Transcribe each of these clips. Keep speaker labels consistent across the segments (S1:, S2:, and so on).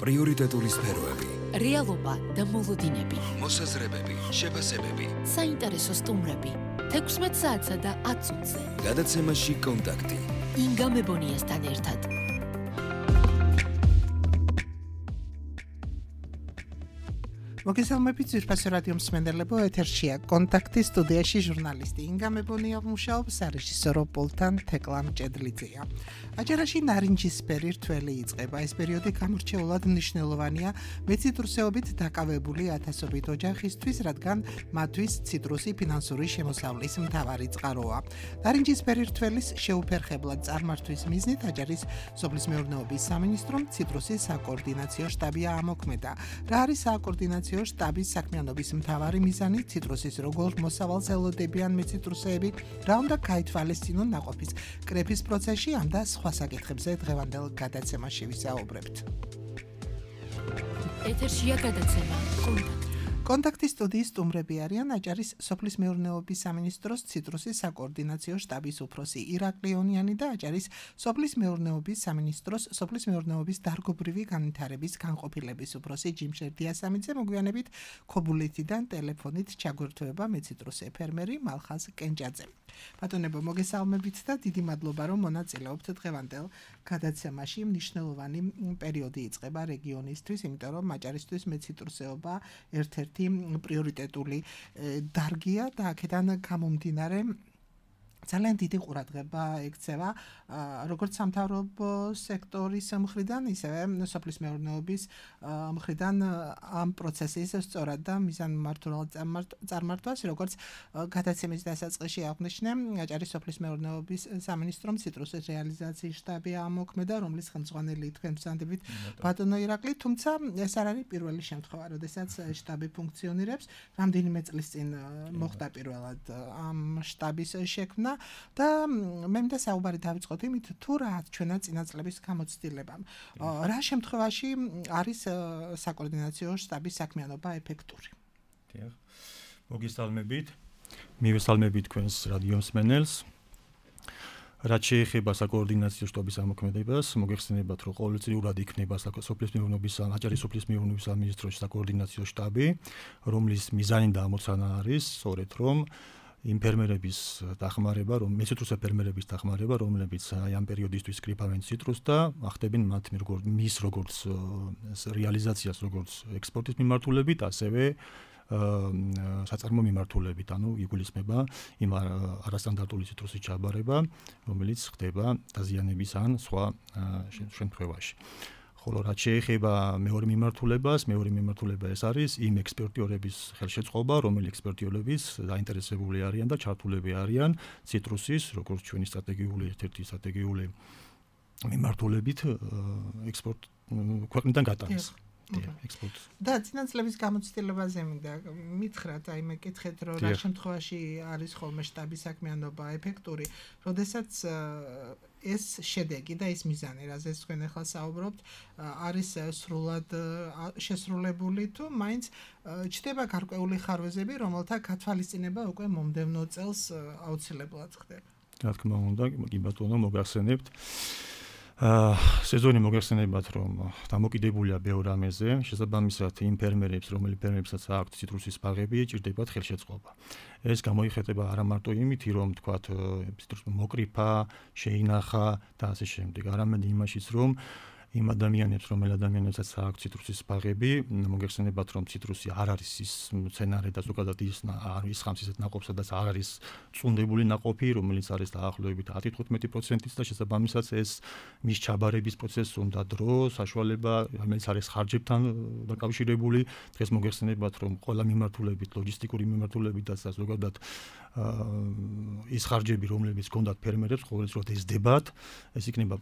S1: პრიორიტეტული სფეროები,
S2: რეალობა და მოლოდინები,
S1: მოსაზრებები, შეფასებები,
S2: საინტერესო სტუმრები, 16 საათსა და 10 წუთზე.
S1: გადაცემაში კონტაქტი.
S2: ინგა მებონიასთან ერთად.
S3: მოგესალმებით ძვირფასო რადიო მსმენელებო, ეთერშია კონტაქტი, სტუდიაში ჟურნალისტი ინგა მებონია მუშაობს, რეჟისორო პოლთან თეკლა მჭედლიძეა. აჯარაში ნარინჯისფერი რთველი იწყება. ეს პერიოდი გამორჩეულად მნიშვნელოვანია მეციტრუსეობით დაკავებული ათასობით ოჯახისთვის, რადგან მათთვის ციტრუსი ფინანსური შემოსავლის მთავარი წყაროა. ნარინჯისფერი რთველის შეუფერხებლად წარმართვის მიზნით აჯარის სოფლის მეურნეობის სამინისტრომ ციტრუსის საკოორდინაციო შტაბი ამოქმედა. რა არის საკოორდინაციო შტაბის საქმიანობის მთავარი მიზანი? ციტრუსის როგორ მოსავალს ელოდებიან მეციტრუსეები, რა უნდა გაითვალისწინონ ნაყოფის კრეფის პროცესში, ამ და სხვა საკითხებზე დღევანდელ გადაცემაში ვისაუბრებთ.
S2: ეთერშია გადაცემა კონტაქტი.
S3: კონტაქტის სტუდიის სტუმრები არიან აჭარის სოფლის მეურნეობის სამინისტროს ციტრუსის საკოორდინაციო შტაბის უფროსი ირაკლი ონიანი და აჭარის სოფლის მეურნეობის სამინისტროს სოფლის მეურნეობის დარგობრივი განვითარების განყოფილების უფროსი ჯიმშერ დიასამიძე. მოგვიანებით ქობულეთიდან ტელეფონით ჩაგვერთვება მეციტრუსე ფერმერი მალხაზ კენჭაძე. ბატონებო, მოგესალმებით და დიდი მადლობა, რომ მონაწილეობთ დღევანდელ გადაცემაში. მნიშვნელოვანი პერიოდი იწყება რეგიონისთვის, იმიტომ რომ აჭარისთვის მეციტრუსეობა ერთ-ერთი პრიორიტეტული დარგია და აქედან გამომდინარე ძალიან დიდი ყურადღება ექცევა როგორც სამთავრობო სექტორის მხრიდან, ისევე სოფლის მეურნეობის მხრიდან ამ პროცესის სწორად და მიზანმიმართულად წარმართვას, როგორც გადაცემის დასაწყისში აღნიშნე, აჭარის სოფლის მეურნეობის სამინისტრომ ციტრუსის რეალიზაციის შტაბი ამოქმედა, რომლის ხელმძღვანელი თქვენ ვსანდებით ბატონო ირაკლი, თუმცა ეს არ არის პირველი შემთხვევა, როდესაც შტაბი ფუნქციონირებს. რამდენიმე წლის წინ მოხდა პირველად ამ შტაბის შექმნა და მე მინდა საუბარი დავიწყოთ იმით, თუ რა ჩვენა წინა წლების გამოცდილებამ. რა შემთხვევაში არის საკოორდინაციო შტაბის საქმიანობა ეფექტური?
S4: დიახ. მოგესალმებით. მივესალმებით თქვენს რადიო მსმენელს. რაც შეეხება საკოორდინაციო შტაბის ამოქმედებას, მოგეხსენებათ, რომ ყოველწლიურად იქნება სოფლის მეურნეობის აჭარის სოფლის მეურნეობის სამინისტროს საკოორდინაციო შტაბი, რომლის მიზანი და ამოცანა არის სწორედ რომ იმ ფერმერების დახმარება, მეციტრუსე ფერმერების დახმარება, რომლებიც ამ პერიოდისთვის კრიფავენ ციტრუსს და ახდებენ მის როგორც რეალიზაციას, როგორც ექსპორტის მიმართულებით, ასევე საწარმო მიმართულებით, ანუ იგულისხმება იმ არასტანდარტული ციტრუსის ჩაბარება, რომელიც ხდება დაზიანების ან სხვა შემთხვევაში. ხოლო რაც შეეხება მეორე მიმართულება ეს არის იმ ექსპერტიორების ხელშეწყობა, რომელი ექსპერტიორებიც დაინტერესებული არიან და ჩართულები არიან ციტრუსის, როგორც ჩვენი ერთ-ერთი სტრატეგიული მიმართულებით ექსპორტ ქვეყნიდან გატანას.
S3: და წინა წლების გამოცდილებაზე მინდა მითხრათ, აი მეკითხეთ, რომ რა შემთხვევაში არის ხოლმე შტაბის საქმიანობა ეფექტური, როდესაც ეს შედეგი და ეს მიზანი, რაზეც თქვენ ახლა საუბრობთ, არის სრულად შესრულებული თუ მაინც ჩდება გარკვეული ხარვეზები, რომელთა გათვალისწინება უკვე მომდევნო წელს აუცილებლად ხდება.
S4: რა თქმა უნდა, კი ბატონო, მოგახსენებთ. სეზონი მოგეხსენებათ, რომ დამოკიდებულია ბევრ რამეზე, შესაბამისად იმ ფერმერებს, რომელსაც აქვთ ციტრუსის ბაღები, ჭირდებათ ხელშეწყობა. ეს გამოიხატება არა მარტო იმით, რომ თქვათ ციტრუსი მოკრიფა, შეინახა და ასე შემდეგ, არამედ იმაშიც, რომ იმ ადამიანებსაც აქვთ ციტრუსის ბაღები, მოგეხსენებათ, რომ ციტრუსი არ არის ის მცენარე და ზოგადად ის არის ხამს ისეთ ნაყოფს, სადაც არ არის წუნდებული ნაყოფი, რომელიც არის დაახლოებით 10-15% და შესაბამისად ეს მის ჩაბარების პროცესს უნდა დრო, საშუალება, რომელიც არის ხარჯებთან დაკავშირებული. დღეს მოგეხსენებათ, რომ ყველა მიმართულებით, ლოჯისტიკური მიმართულებით და ზოგადად ის ხარჯები, რომლებიც გქონდათ ფერმერებს, ყოველდღიურად ეზდებათ, ეს იქნება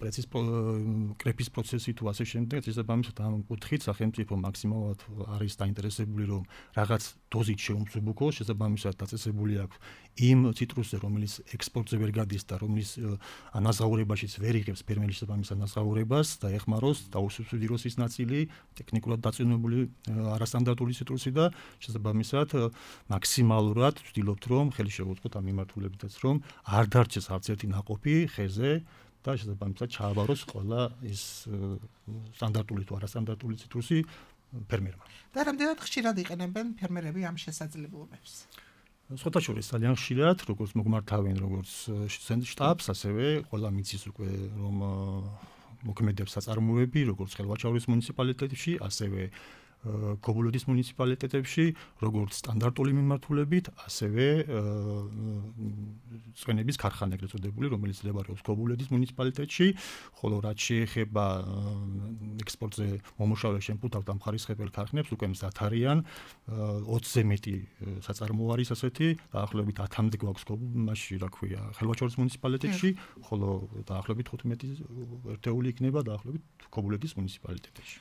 S4: კრეფის პროცესი თუ ასე შემდეგ, შესაბამისად ამ კუთხით სახელმწიფო მაქსიმალურად არის დაინტერესებული, რომ რაღაც დოზით შეუმსუბუქოს, შესაბამისად დაწესებული აქვს იმ ციტრუსზე, რომელიც ექსპორტზე ვერ გადის და რომლის ანაზღაურებაშიც ვერ იღებს ფერმერის შესაბამის ანაზღაურებას და ეხმაროს დაუსუბსიდიროს ის ნაწილი, ტექნიკურად დაწინებული არასტანდარტული ციტრუსი და შესაბამისად მაქსიმალურად ვცდილობთ, რომ ხელი შევუწყოთ ამ მიმართულებითაც, რომ არ დარჩეს არც ერთი ნაყოფი ხეზე და შესაბამისად ჩააბაროს ყველა ის სტანდარტული თუ არასტანდარტული ციტრუსი ფერმერმა.
S3: და რამდენად ხშირად იყენებენ ფერმერები ამ შესაძლებლობებს?
S4: სხვათა შორის ძალიან ხშირად, როგორც მოგმართავენ, როგორც შტაბს, ასევე ყველა მიცის უკვე რომ მოქმედებს საწარმოები, როგორც ხელვაჩაურის მუნიციპალიტეტში, ასევე ქობულეთის მუნიციპალიტეტებში, როგორც სტანდარტული მიმართულებით, ასევე წვენების ქარხანა ეგრეთ წოდებული, რომელიც მდებარეობს ქობულეთის მუნიციპალიტეტში, ხოლო რაც შეეხება ექსპორტზე მომუშავე შემფუთავ და მხარისხებელ ქარხნებს, უკვე მზად არიან 20-ზე მეტი საწარმოო არის ასეთი, დაახლოებით 10-მდე გვაქვს მაშინ, რა ქვია, ხელვაჩაურის მუნიციპალიტეტში, ხოლო დაახლოებით 15 ერთეული იქნება დაახლოებით ქობულეთის მუნიციპალიტეტში.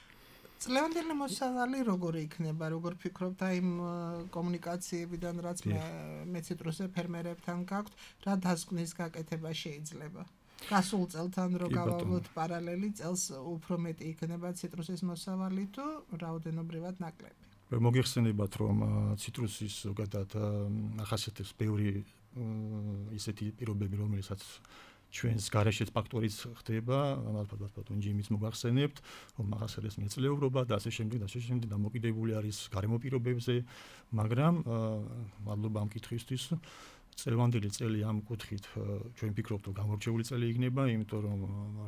S3: წლევანდელი მოსავალი როგორი იქნება, როგორ ფიქრობთ იმ კომუნიკაციებიდან, რაც მე ციტრუსზე ფერმერებთან გაქვთ, რა დასკვნის გაკეთება შეიძლება? გასულ წელთან რო გავავლოთ პარალელი, წელს უფრო მეტი იქნება ციტრუსის მოსავალი თუ რაოდენობრივად ნაკლები?
S4: მოგიხსენებათ, რომ ციტრუსის ზოგადად ახასიათებს ბევრი ისეთი პირობები, რომელსაც ჩვენს გარეშეც ფაქტორიც ხდება, ალბათ ინჯიმიც მოგახსენებთ, რომ ახასიათებს მეწლეურობა და ასე შემდეგ დამოკიდებული არის გარემო პირობებზე, მაგრამ მადლობა ამ კითხვისთვის. წლევანდელი წელი ამ კუთხით ჩვენ ვფიქრობთ, რომ გამორჩეული წელი იქნება, იმიტომ რომ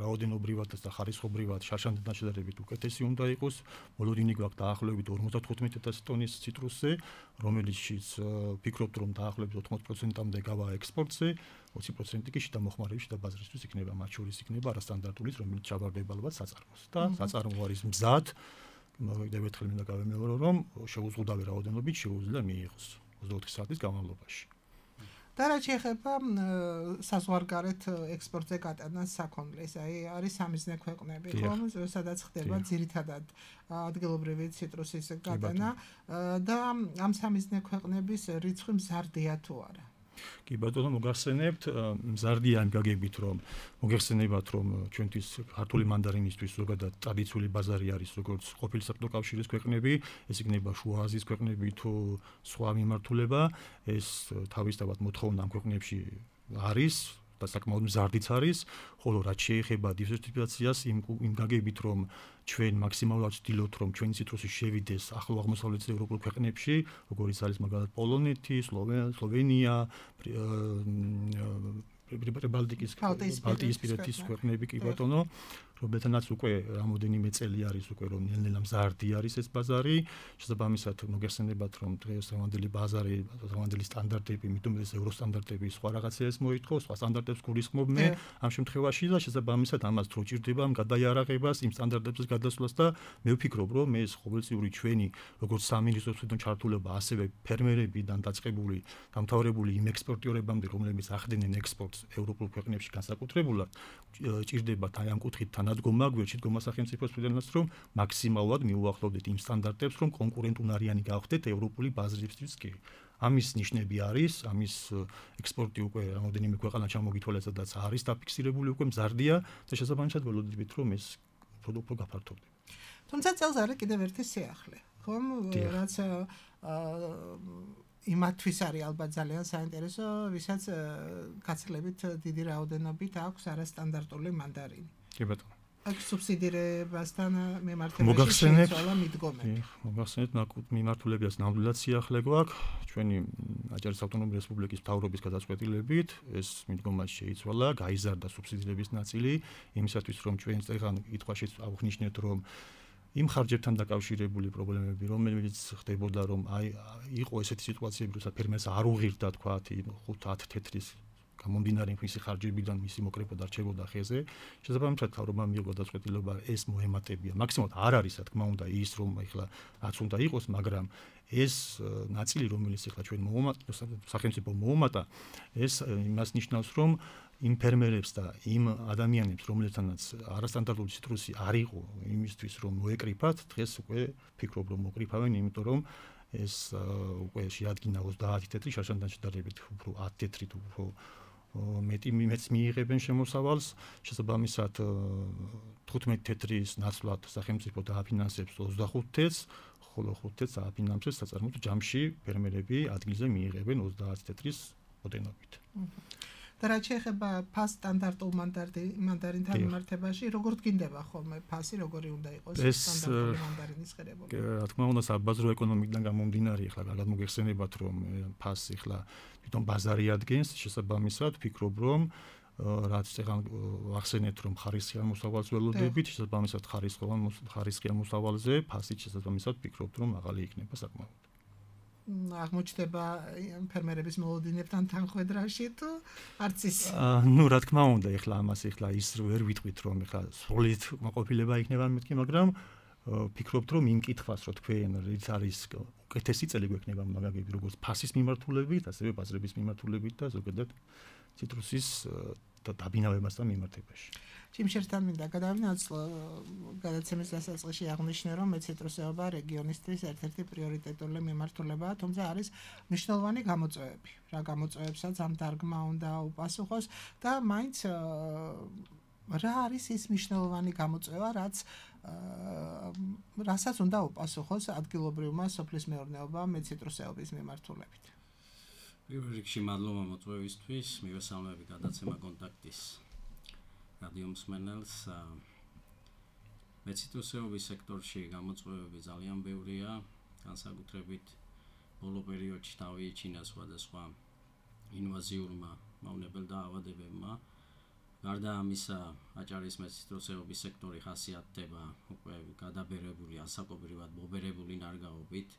S4: რაოდენობრივად და ხარისხობრივად შარშანდთან შედარებით უკეთესი უნდა იყოს. მოლოდინი გვაქვს დაახლოებით 55,000 ტონის ციტრუსზე, რომელიცშიც ვფიქრობთ, რომ დაახლოებით 80%-მდე გავა ექსპორტზე, 20% კი შიდა მოხმარების და ბაზრისთვის იქნება, მათ შორის იქნება არასტანდარტულის, რომელიც ჩაბარდება ალბათ საწარმოს. და საწარმო არის მზად, კიდევ ერთხელ მინდა გავემეორო, რომ შეუზღუდავი რაოდენობით შეუძლია მიიღოს 24 საათის განმავლობაში.
S3: და რაც შეეხება საზღვარგარეთ ექსპორტზე გატანას საქონლის, არის სამიზნე ქვეყნები, ხომ, სადაც ხდება ძირითადად ადგილობრივი ციტრუსის გატანა და ამ სამიზნე ქვეყნების რიცხვი მზარდია თუ არა?
S4: კი ბატონო, მოგახსენებთ, მზარდია იმ გაგებით, რომ მოგეხსენებათ, რომ ჩვენთვის ქართული მანდარინისთვის ზოგადად ტრადიციული ბაზარი არის, როგორც ყოფილი საბჭოთა კავშირის ქვეყნები, ეს იქნება შუა აზიის ქვეყნები თუ სხვა მიმართულება, ეს თავისთავად მოთხოვნა ამ ქვეყნებში არის და საკმაოდ მზარდიც არის, ხოლო რაც შეეხება დივერსიფიკაციას, იმ გაგებით, რომ ჩვენ მაქსიმალურად ვცდილობთ, რომ ჩვენი ციტრუსი შევიდეს ახლო აღმოსავლეთ ევროპულ ქვეყნებში, როგორიც არის მაგალითად პოლონეთი, სლოვენია, ბალტიისპირეთის ქვეყნები კი ბატონო, რომელთანაც უკვე რამოდენიმე წელი არის უკვე რომ ნელ-ნელა მზარდი არის ეს ბაზარი, შესაბამისად მოგეხსენებათ, რომ დღევანდელი ბაზარი, დღევანდელი სტანდარტები, მithumedes ევროსტანდარტები სხვა რაღაცებს მოითხოვს, სხვა სტანდარტებს გულისხმობ მე ამ შემთხვევაში და შესაბამისად ამას დრო ჭირდება ამ გადაიარაღებას, იმ სტანდარტების გადასვლას და მე ვფიქრობ, რომ ეს ყოველწლიური ჩვენი როგორც სამინისტროს ჩართულობა, ასევე ფერმერებიდან დაწყებული, დამთავრებული იმ ექსპორტიორებამდე, რომლებიც ახდენენ ექსპორტს ევროპულ ქვეყნებში განსაკუთრებულად, ჭირდებათ აი ამ კუთხით თანადგომა, გვერდით გომა სახელმწიფოს მხრიდანაც, რომ მაქსიმალურად მიუახლოვდეთ იმ სტანდარტებს, რომ კონკურენტუნარიანი გავხდეთ ევროპული ბაზრისთვის კი. ამის ნიშნები არის, ამის ექსპორტი უკვე რამოდენიმე ქვეყანა ჩამოგითვალეს, სადაც არის დაფიქსირებული უკვე მზარდია და შესაბამისად ველოდებით, რომ ეს უფრო გაფართოვდება.
S3: თუმცა წელს არის კიდევ ერთი სიახლე, ხომ, რაც იმათთვის არის ალბათ ძალიან საინტერესო, ვისაც გაცილებით დიდი რაოდენობით აქვს არასტანდარტული მანდარინი.
S4: კი ბატონო.
S3: აქ სუბსიდირებასთან მიმართებაში შეიცვალა მიდგომები.
S4: მოგახსენებთ, მიმართულებიას ნამდვილად სიახლე გვაქვს, ჩვენი აჭარის ავტონომიური რესპუბლიკის მთავრობის გადაწყვეტილებით, ეს მიდგომა შეიცვალა, გაიზარდა სუბსიდირების ნაწილი, იმისათვის რომ ჩვენ წეგან კითხვაში აღნიშნეთ, რომ იმ ხარჯებთან დაკავშირებული პრობლემები, რომელიც ხდებოდა, რომ იყო ესეთი სიტუაციები, როცა ფერმერს არ უღირდა თქვა 5-10 თეთრის გამომდინარე მისი ხარჯებიდან მისი მოკრეფა დარჩებოდა ხეზე. შესაბამისად თავრობამ მიიღო გადაწყვეტილება ეს მოემატებია. მაქსიმალურად არ არის, რა თქმა უნდა, ის რომ ეხლა რაც უნდა იყოს, მაგრამ ეს ნაწილი, რომელიც ეხლა ჩვენ სახელმწიფო მოუმატა, ეს იმას ნიშნავს, რომ იმ ფერმერებს და იმ ადამიანებს, რომლებთანაც არასტანდარტული ციტრუსი არ იყო იმისთვის, რომ მოეკრიფათ, დღეს უკვე ფიქრობ, რომ მოკრიფავენ, იმიტომ რომ ეს უკვე შეადგინა 30 თეთრი შარშანდთან შედარებით უფრო 10 თეთრით უფრო მეტს მიიღებენ შემოსავალს, შესაბამისად 15 თეთრის ნაცვლად სახელმწიფო დააფინანსებს 25 თეთრს, ხოლო 5 თეთრს დააფინანსებს საწარმოო ჯამში ფერმერები ადგილზე მიიღებენ 30 თეთრის ოდენობით.
S3: და რაც შეეხება ფას სტანდარტულ მანდარინთან მიმართებაში, როგორ გინდება ხოლმე ფასი, როგორი უნდა იყოს სტანდარტული მანდარინის ღირებულება?
S4: რა თქმა უნდა, საბაზრო ეკონომიკიდან გამომდინარე, ახლა კარგად მოგეხსენებათ, რომ ფასი ახლა თვითონ ბაზარი ადგენს, შესაბამისად, ვფიქრობ, რომ რაც წეგან ვახსენეთ, რომ ხარისხიან მოსავალს ველოდებით, შესაბამისად ხარისხიან მოსავალზე ფასით შესაბამისად ვფიქრობ, რომ მაღალი იქნება საკმაოდ.
S3: აღმოჩნდება ფერმერების მოლოდინებთან თანხვედრაში თუ არც ის?
S4: რა თქმა უნდა, ეხლა ამას ის ვერ ვიტყვით, რომ ეხლა სრულად მოყოფილება იქნება მეთქი, მაგრამ ვფიქრობთ, რომ იმ კითხვას, რო თქვენ, რიც არის უკეთესი წელი გვექნება მაგაგები, როგორც ფასის მიმართულებით, ასევე ბაზრების მიმართულებით და ზოგადად ციტრუსის დაბინავებასთან მიმართებაში.
S3: ჩიმშერთან მინდა გადავინაცვლ გადაცემის დასაწყისში აღნიშნე, რომ მეციტრუსეობა რეგიონისთვის ერთ-ერთი პრიორიტეტული მიმართულებაა, თუმცა არის მნიშვნელოვანი გამოწვევები. რა გამოწვევებსაც ამ დარგმა უნდა უპასუხოს და მაინც რა არის ის მნიშვნელოვანი გამოწვევა, რასაც უნდა უპასუხოს ადგილობრივმა სოფლის მეურნეობამ მეციტრუსეობის მიმართულებით.
S5: პირველ რიგში მადლობა მოწვევისთვის, მივესალმები გადაცემა კონტაქტის რადიო მსმენელს. მეციტრუსეობის სექტორში გამოწვევები ძალიან ბევრია, განსაკუთრებით ბოლო პერიოდში დავიჩინა სხვადასხვა ინვაზიურმა მავნებელ დაავადებებმა. გარდა ამისა, აჭარის მეციტრუსეობის სექტორი ხასიათდება უკვე გადაბერებული, ასაკობრივად მობერებული ნარგავობით,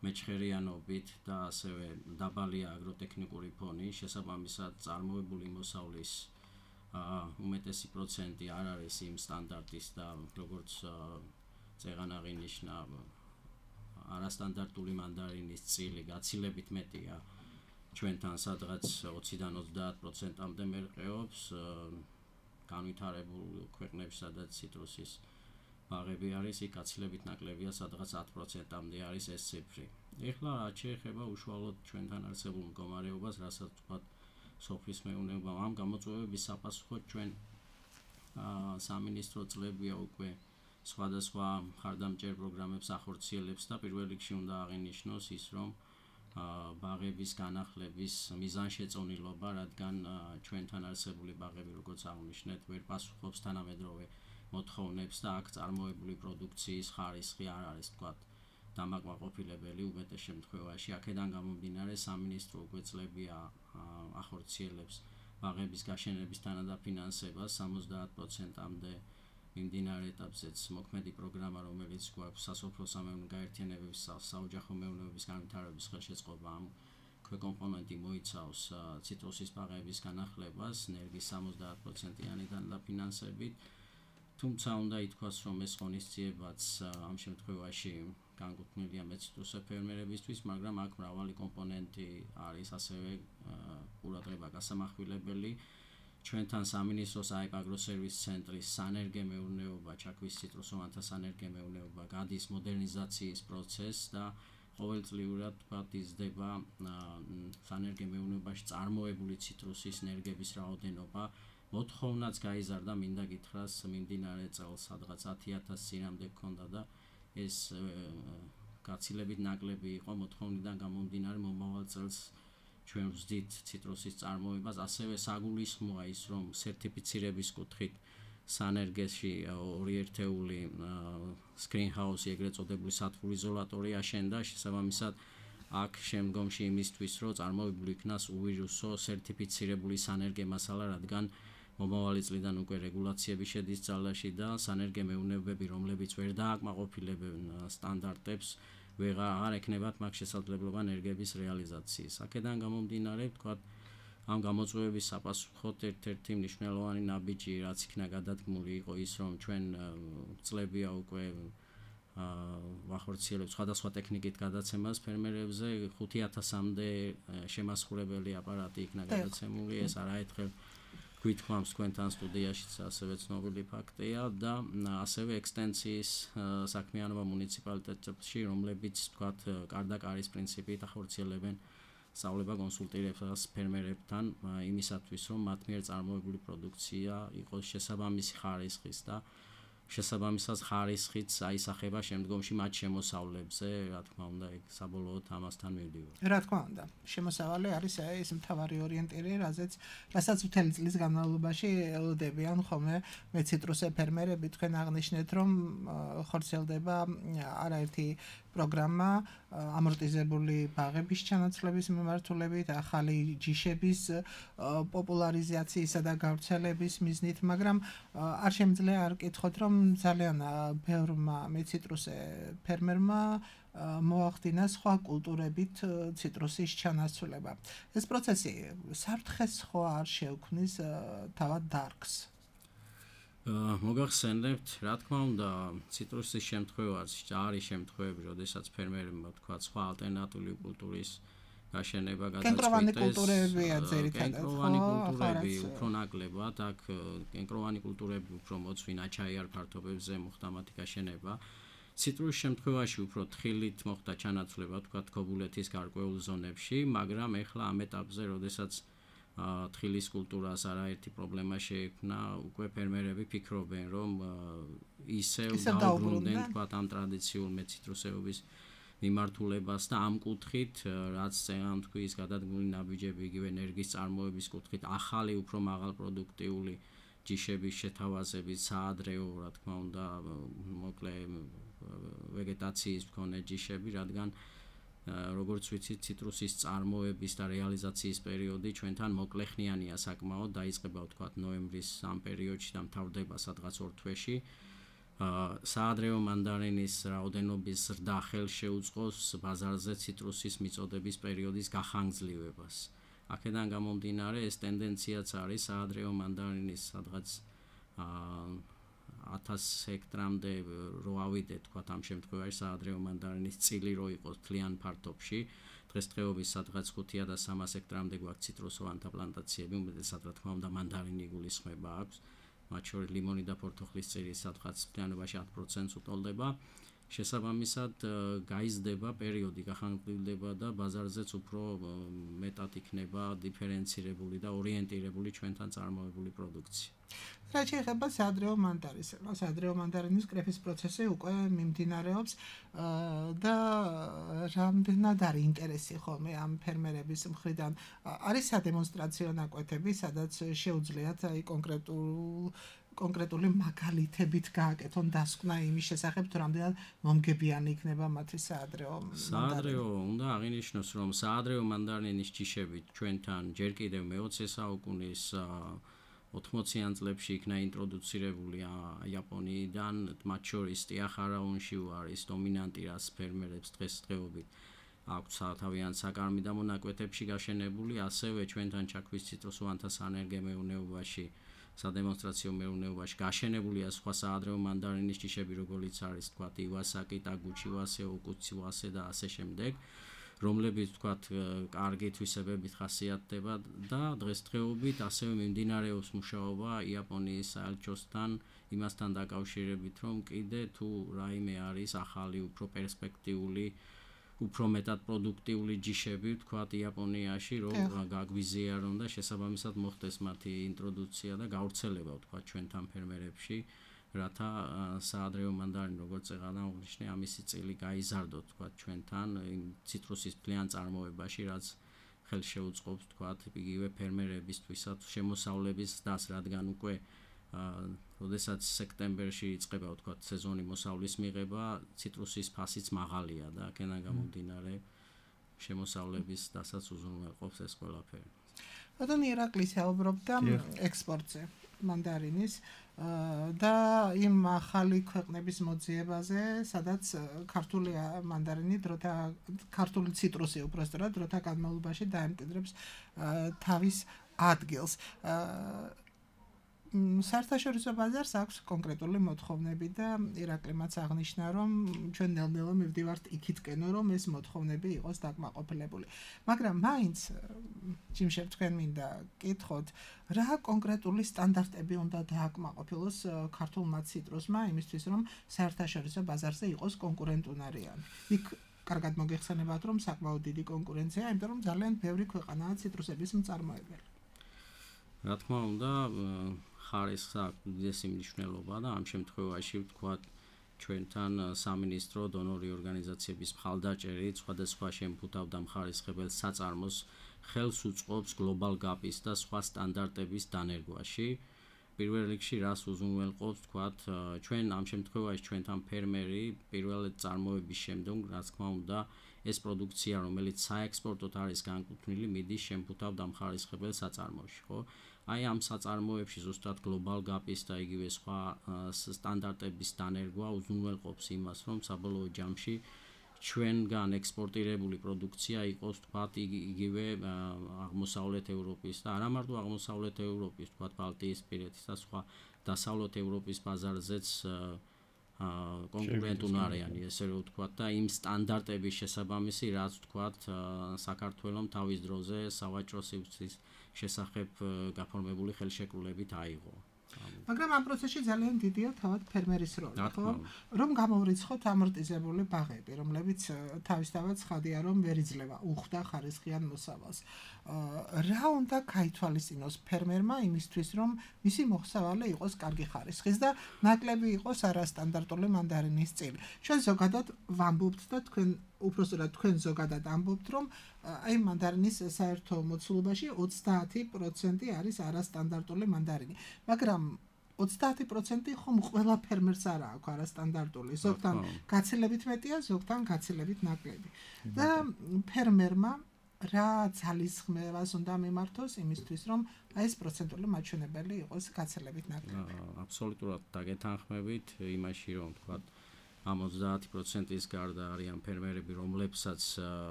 S5: მეჩხერიანობით და ასევე დაბალია აგროტექნიკური ფონი, შესაბამისად წარმოებული მოსავლის უმეტესი პროცენტი არ არის იმ სტანდარტის და როგორც წეგან აღინიშნა არასტანდარტული მანდარინის წილი გაცილებით მეტია ჩვენთან, სადღაც 20-დან 30%-მდე მერყეობს, განვითარებულ ქვეყნებში, სადაც ციტრუსის ბაღები არის, იქ გაცილებით ნაკლებია, სადღაც 10%-მდე არის ეს ციფრი. ეხლა რაც შეეხება უშუალოდ ჩვენთან არსებულ მდგომარეობას, რასაც ვთქვათ სოფლის მეურნეობამ, ამ გამოწვევების საფასუხოდ ჩვენ სამინისტრო წლებია უკვე სხვადასხვა მხარდამჭერ პროგრამებს ახორციელებს და პირველ რიგში უნდა აღინიშნოს ის, რომ ბაღების განახლების მიზანშეწონილობა, რადგან ჩვენთან არსებული ბაღები, როგორც აღნიშნეთ, ვერ პასუხობს თანამედროვე მოთხოვნებს და აქ წარმოებული პროდუქციის ხარისხი არ არის, თქვათ, დამაკმაყოფილებელი უმეტეს შემთხვევაში. აქედან გამომდინარე, სამინისტრო უკვე წლებია ახორციელებს ბაღების გაშენების თანადაფინანსებას 70%-მდე მიმდინარე ეტაპზეც მოქმედი პროგრამა, რომელიც გვაქვს სასოფლო-სამეურნეო გაერთიანებების საოჯახო მეურნეობის განვითარების ხელშეწყობა, ამ ქვეკომპონენტი მოიცავს ციტრუსის ბაღების განახლებას ნერგის 70%-იანი თანადაფინანსებით. თუმცა უნდა ითქვას, რომ ეს ღონისძიებაც ამ შემთხვევაში განკუთვნილია მეციტრუსე ფერმერებისთვის, მაგრამ აქ მრავალი კომპონენტი არის ასევე ყურადღება გასამახვილებელი. ჩვენთან სამინისტროს აებ აგროსერვის ცენტრის სანერგე მეურნეობა, ჩაქვის ციტრუსოვანთა სანერგე მეურნეობა გადის მოდერნიზაციის პროცესს და ყოველწლიურად თქვათ იზრდება სანერგე მეურნეობაში წარმოებული ციტრუსის ნერგების რაოდენობა. მოთხოვნაც გაიზარდა, მინდა გითხრას, მიმდინარე წელს სადღაც 10,000 წინამდე გქონდა და ეს გაცილებით ნაკლები იყო მოთხოვნიდან გამომდინარე. მომავალ წელს ჩვენ ვზდით ციტრუსის წარმოებას, ასევე საგულისხმოა ის, რომ სერტიფიცირების კუთხით სანერგეში ორი ერთეული სკრინჰაუსი, ეგრეთ წოდებული სათბური იზოლატორი აშენდა, შესაბამისად აქ შემდგომში იმისთვის, რომ წარმოებული იქნას უვირუსო სერტიფიცირებული სანერგე მასალა, რადგან მომავალი წლიდან უკვე რეგულაციები შედის ძალაში და სანერგე მეურნეობები, რომლებიც ვერ დააკმაყოფილებენ სტანდარტებს, აღარ ექნებათ მაგ შესაძლებლობა ნერგების რეალიზაციის. აქედან გამომდინარე, ვთქვათ, ამ გამოწვევების საფასუხოდ ერთ-ერთი მნიშვნელოვანი ნაბიჯი, რაც იქნა გადადგმული, იყო ის, რომ ჩვენ წლებია უკვე ვახორციელებთ სხვადასხვა ტექნიკით გადაცემას ფერმერებზე, 5,000-მდე შემასხურებელი აპარატი იქნა გადაცემული, ეს არაერთხელ გვითხოვს თქვენთან სტუდიაშიც ასევე ცნობილი ფაქტია და ასევე ექსტენსიის საქმიანობა მუნიციპალიტეტებში, რომლებიც თქვათ კარდაკარის პრინციპით ახორციელებენ სწავლება კონსულტირებას ფერმერებთან იმისათვის, რომ მათ მიერ წარმოებული პროდუქცია იყოს შესაბამისი ხარისხის და შესაბამისად ხარისხიც აისახება შემდგომში მათ შემოსავლებზე, რა თქმა უნდა, ეგ საბოლოოდ ამასთან მივდივარ.
S3: რა თქმა უნდა, შემოსავალი არის ეს მთავარი ორიენტირი, რასაც მთელი წლის განმავლობაში ელოდებიან ხოლმე მეციტრუსე ფერმერები. თქვენ აღნიშნეთ, რომ ხორციელდება არაერთი პროგრამა ამორტიზებული ბაღების ჩანაცვლების მიმართულებით, ახალი ჯიშების პოპულარიზაციისა და გავრცელების მიზნით, მაგრამ არ შემიძლია არ კითხოთ, რომ ძალიან ბევრმა მეციტრუსე ფერმერმა მოახდინა სხვა კულტურებით ციტრუსის ჩანაცვლება. ეს პროცესი საფრთხეს ხო არ შეუქმნის თავად დარგს?
S5: მოგახსენებთ, რა თქმა უნდა, ციტრუსის შემთხვევაში არის შემთხვევები, როდესაც ფერმერებმა თქვა სხვა ალტერნატიული კულტურის გაშენება გადაწყვიტეს.
S3: კენკროვანი კულტურებია ძირითადად.
S5: კენკროვანი კულტურები უფრო ნაკლებად, აქ კენკროვანი კულტურები უფრო მოწვინ აჩაიარ ფართობებზე მოხდა მათი გაშენება. ციტრუსის შემთხვევაში უფრო თხილით მოხდა ჩანაცვლება, თქვა ქობულეთის გარკვეულ ზონებში, მაგრამ ეხლა ამ ეტაპზე, როდესაც თხილის კულტურას არაერთი პრობლემა შეექმნა, უკვე ფერმერები ფიქრობენ, რომ ისევ დაუბრუნდნენ თქვა ამ ტრადიციულ მეციტრუსეობის მიმართულებას და ამ კუთხით, რაც წეგან თქვის გადადგმული ნაბიჯები, იგივე ენერგიის წარმოების კუთხით, ახალი უფრო მაღალპროდუქტიული ჯიშების შეთავაზებით, საადრეო, რა თქმა უნდა, მოკლე ვეგეტაციის მქონე ჯიშები, რადგან როგორც ვიცით, ციტრუსის წარმოების და რეალიზაციის პერიოდი ჩვენთან მოკლეხნიანია საკმაოდ, დაიწყება ვთქვათ ნოემბრის ამ პერიოდში და მთავრდება სადღაც 2 თვეში. საადრეო მანდარინის რაოდენობის ზრდა ხელშეუწყოს ბაზარზე ციტრუსის მიწოდების პერიოდის გახანგრძლივებას. აქედან გამომდინარე, ეს ტენდენციაც არის საადრეო მანდარინის სადღაც 1000 ჰექტრამდე რო ავიდეთ, თქვა ამ შემთხვევაში საადრეო მანდარინის წილი რო იყოს თლიან ფართობში, დღესდღეობით სადღაც 5300 ჰექტრამდე გვაქვს ციტრუსოვანთა პლანტაციები, უმეტესად რა თქმა უნდა მანდარინი იგულისხმება აქვს. მათ შორის ლიმონი და ფორთოხლის წილი სადღაც მთლიანობაში 10%-ს უტოლდება. შესაბამისად, გაიზრდება პერიოდი, გახანგრძლივდება და ბაზარზეც უფრო მეტად იქნება დიფერენცირებული და ორიენტირებული ჩვენთან წარმოებული პროდუქცია.
S3: რაც შეეხება საადრეო მანდარინს, საადრეო მანდარინის კრეფის პროცესი უკვე მიმდინარეობს და რამდენად არის ინტერესი ხოლმე ამ ფერმერების მხრიდან. არის სადემონსტრაციო ნაკვეთები, სადაც შეუძლიათ კონკრეტული მაგალითებით გააკეთონ დასკვნა იმის შესახებ, თუ რამდენად მომგებიანი იქნება მათი საადრეო მანდარინი.
S5: საადრეო უნდა აღინიშნოს, რომ საადრეო მანდარინის ჯიშები ჩვენთან ჯერ კიდევ მე-20 საუკუნის 80-იან წლებში იქნა ინტროდუცირებული იაპონიიდან, მათ შორის ტიახარაუნში არის დომინანტი, რაც ფერმერებს დღესდღეობით აქვს თავიანთ საკარმი და მონაკვეთებში გაშენებული, ასევე ჩვენთან ჩაქვის ციტრუსოვანთა სანერგე მეურნეობაში, სადემონსტრაციო მეურნეობაში გაშენებულია სხვა საადრეო მანდარინის ჯიშები, როგორც არის თქვა ივასაკი, ტაგუჩი ვასე, ოკუცი ვასე და ასე შემდეგ. რომლებიც ვთქვათ კარგი თვისებებით ხასიათდება და დღესდღეობით ასევე მიმდინარეობს მუშაობა იაპონიის საელჩოსთან იმასთან დაკავშირებით, რომ კიდე თუ რაიმე არის ახალი უფრო პერსპექტიული, უფრო მეტად პროდუქტიული ჯიშები ვთქვათ იაპონიაში, რომ გაგვიზიარონ და შესაბამისად მოხდეს მათი ინტროდუცია და გავრცელება ვთქვათ ჩვენთან ფერმერებში. რათა საადრეო მანდარინი როგორც წეგანა აღნიშნე ამისი წილი გაიზარდოთ თქვათ ჩვენთან ციტრუსის მთლიან წარმოებაში, რაც ხელშეუწყობს თქვათ იგივე ფერმერებისთვისაც შემოსავლების დასს, რადგან უკვე როდესაც სექტემბერში იწყება თქვათ სეზონი მოსავლის მიღება, ციტრუსის ფასიც მაღალია და აქედან გამომდინარე შემოსავლების დასაც უზრუნველყოფს ეს ყველაფერი.
S3: ბატონი ირაკლი საუბრობდა ექსპორტზე მანდარინის და იმ ახალი ქვეყნების მოძიებაზე, სადაც ქართული მანდარინი ქართული ციტრუსი უბრალოდ დროთა განმავლობაში დაემკვიდრებს თავის ადგილს. საერთაშორისო ბაზარს აქვს კონკრეტული მოთხოვნები და ირაკლი მას აღნიშნა, რომ ჩვენ ნელ-ნელა მივდივართ იქითკენ, რომ ეს მოთხოვნები იყოს დაკმაყოფილებული. მაგრამ მაინც ჯიმშევ თქვენ მინდა კითხოთ, რა კონკრეტული სტანდარტები უნდა დააკმაყოფილოს ქართულმა ციტრუსმა იმისთვის, რომ საერთაშორისო ბაზარზე იყოს კონკურენტუნარიანი. იქ კარგად მოგეხსენებათ, რომ საკმაოდ დიდი კონკურენცია, იმიტომ რომ ძალიან ბევრი ქვეყანაა ციტრუსების მწარმოებელი.
S5: რა თქმა უნდა, ხარისხს აქვს უდიდესი მნიშვნელობა და ამ შემთხვევაში ვთქვათ ჩვენთან სამინისტრო დონორი ორგანიზაციების მხალდაჭერით სხვადასხვა შემფუთავ და მხარისხებელ საწარმოს ხელს უწყობს Global Gap-ის და სხვა სტანდარტების დანერგვაში. პირველ რიგში რას უზრუნველყოფს ვთქვათ ჩვენ ამ შემთხვევაში ჩვენთან ფერმერი პირველად წარმოების შემდგომ რაც თქმა უნდა ეს პროდუქცია რომელიც საექსპორტოდ არის განკუთვნილი მიდის შემფუთავ და მხარისხებელ საწარმოში, ხო? აი ამ საწარმოებში ზუსტად Global Gap-ის და იგივე სხვა სტანდარტების დანერგვა უზრუნველყოფს იმას, რომ საბოლოო ჯამში ჩვენგან ექსპორტირებული პროდუქცია იყოს თქვათ იგივე აღმოსავლეთ ევროპის და არა მარტო აღმოსავლეთ ევროპის, თქვათ ბალტიისპირეთის და სხვა დასავლეთ ევროპის ბაზარზეც კონკურენტუნარიანი, ესე რომ ვთქვათ და იმ სტანდარტების შესაბამისი, რაც ვთქვათ საქართველოს თავის დროზე სავაჭრო სივრცის შესახებ გაფორმებული ხელშეკრულებით აიღო.
S3: მაგრამ ამ პროცესში ძალიან დიდია თავად ფერმერის როლი, ხო? რომ გამოვრიცხოთ ამორტიზებული ბაღები, რომლებიც თავისთავად ცხადია, რომ ვერ იძლევა უხვდა ხარისხიან მოსავალს. რა უნდა გაითვალისწინოს ფერმერმა იმისთვის, რომ მისი მოხსავალი იყოს კარგი ხარისხის და ნაკლები იყოს არასტანდარტული მანდარინის წილი. ჩვენ ზოგადად ვამბობთ და თქვენ უпроსტად თქვენ ზოგადად ამბობთ, რომ აი მანდარინის საერთო მოცულობაში 30% არის არასტანდარტული მანდარინი. მაგრამ 30% ხომ ყველა ფერმერს არ აქვს არასტანდარტული. ზოგთან გაცილებით მეტია, ზოგთან გაცილებით ნაკლები. და ფერმერმა რა ძალისხმევას უნდა მიმართოს იმისთვის, რომ აი ეს პროცენტული მაჩვენებელი იყოს გაცილებით ნაკლები.
S5: აბსოლუტურად დაგეთანხმებით იმაში, რომ თქვათ ამ 30%-ის გარდა არიან ფერმერები, რომლებსაც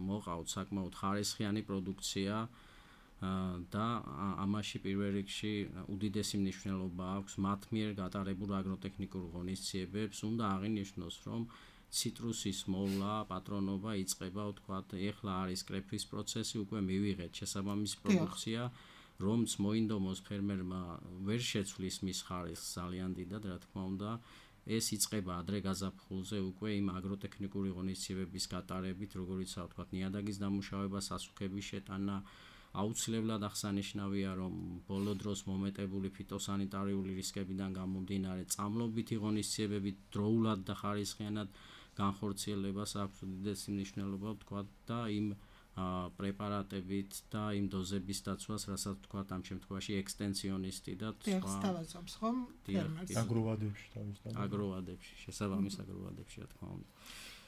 S5: მოყავთ საკმაოდ ხარისხიანი პროდუქცია და ამაში პირველ რიგში უდიდესი მნიშვნელობა აქვს მათ მიერ გატარებულ აგროტექნიკურ ღონისძიებებს. უნდა აღინიშნოს, რომ ციტრუსის მოვლა, პატრონობა იწყება, ვთქვათ, ეხლა არის კრეფის პროცესი, უკვე მივიღეთ შესაბამისი პროდუქცია, რომც მოინდომოს ფერმერმა ვერ შეცვლის მის ხარისხს ძალიან დიდად, რა თქმა უნდა. ეს იწყება ადრე გაზაფხულზე უკვე იმ აგროტექნიკური ღონისძიებების გატარებით, როგორიცაა ვთქვათ, ნიადაგის დამუშავება, სასუქების შეტანა, აუცილებლად აღსანიშნავია, რომ ბოლო დროს მომეტებული ფიტოსანიტარიული რისკებიდან გამომდინარე წამლობითი ღონისძიებები დროულად და ხარისხიანად განხორციელებას აქვს უდიდესი მნიშვნელობა, ვთქვათ, და იმ პრეპარატებით და იმ დოზების დაცვას, რასაც ვთქვათ, ამ შემთხვევაში ექსტენსიონისტი და სხვა
S3: სთავაზობს ხომ ფერმერს
S4: აგროვადებში თავისთავად.
S5: აგროვადებში, შესაბამის აგროვადებში, რა თქმა უნდა.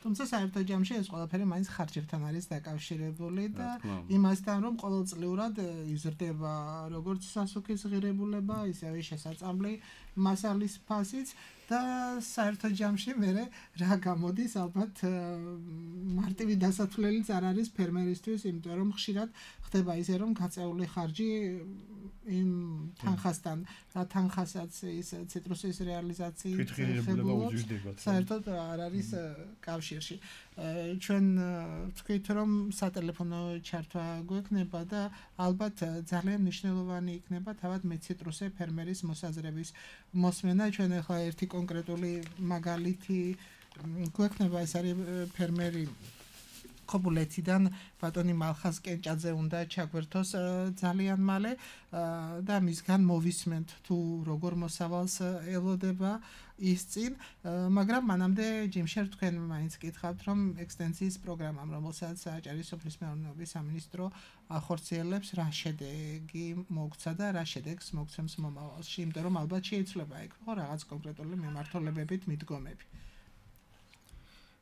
S3: თუმცა საერთო ჯამში ეს ყველაფერი მაინც ხარჯებთან არის დაკავშირებული და იმასთან, რომ ყოველწლიურად იზრდება როგორც სასუქის ღირებულება, ისევე შესაწამლი მასალის ფასიც და საერთო ჯამში მე რა გამოდის, ალბათ მარტივი დასათვლელიც არ არის ფერმერისთვის, იმიტომ რომ ხშირად ხდება ისე, რომ გაწეული ხარჯი იმ თანხასთან, რა თანხასაც ის ციტრუსის რეალიზაციით ხდება, საერთოდ არ არის კავშირში. ჩვენ ვთქვით, რომ სატელეფონო ჩართვა გვექნება და ალბათ ძალიან მნიშვნელოვანი იქნება თავად მეციტრუსე ფერმერის მოსაზრების მოსმენა. ჩვენ ახლა ერთი კონკრეტული მაგალითი გვექნება, ეს არის ფერმერი ხობულეთიდან ბატონი მალხაზ კენჭაძე უნდა ჩაგვერთოს ძალიან მალე და მისგან მოვისმენთ თუ როგორ მოსავალს ელოდება ის წინ, მაგრამ მანამდე ჯიმშერ თქვენ მაინც გითხავთ, რომ ექსტენსიის პროგრამამ, რომელსაც სააჭარო სოფლის მეურნეობის სამინისტრო ახორციელებს, რა შედეგი მოგცა და რა შედეგს მოგცემს მომავალში, იმიტომ რომ ალბათ შეიძლება იქ ხო რაღაც კონკრეტული მიმართულებებით მიდგომები.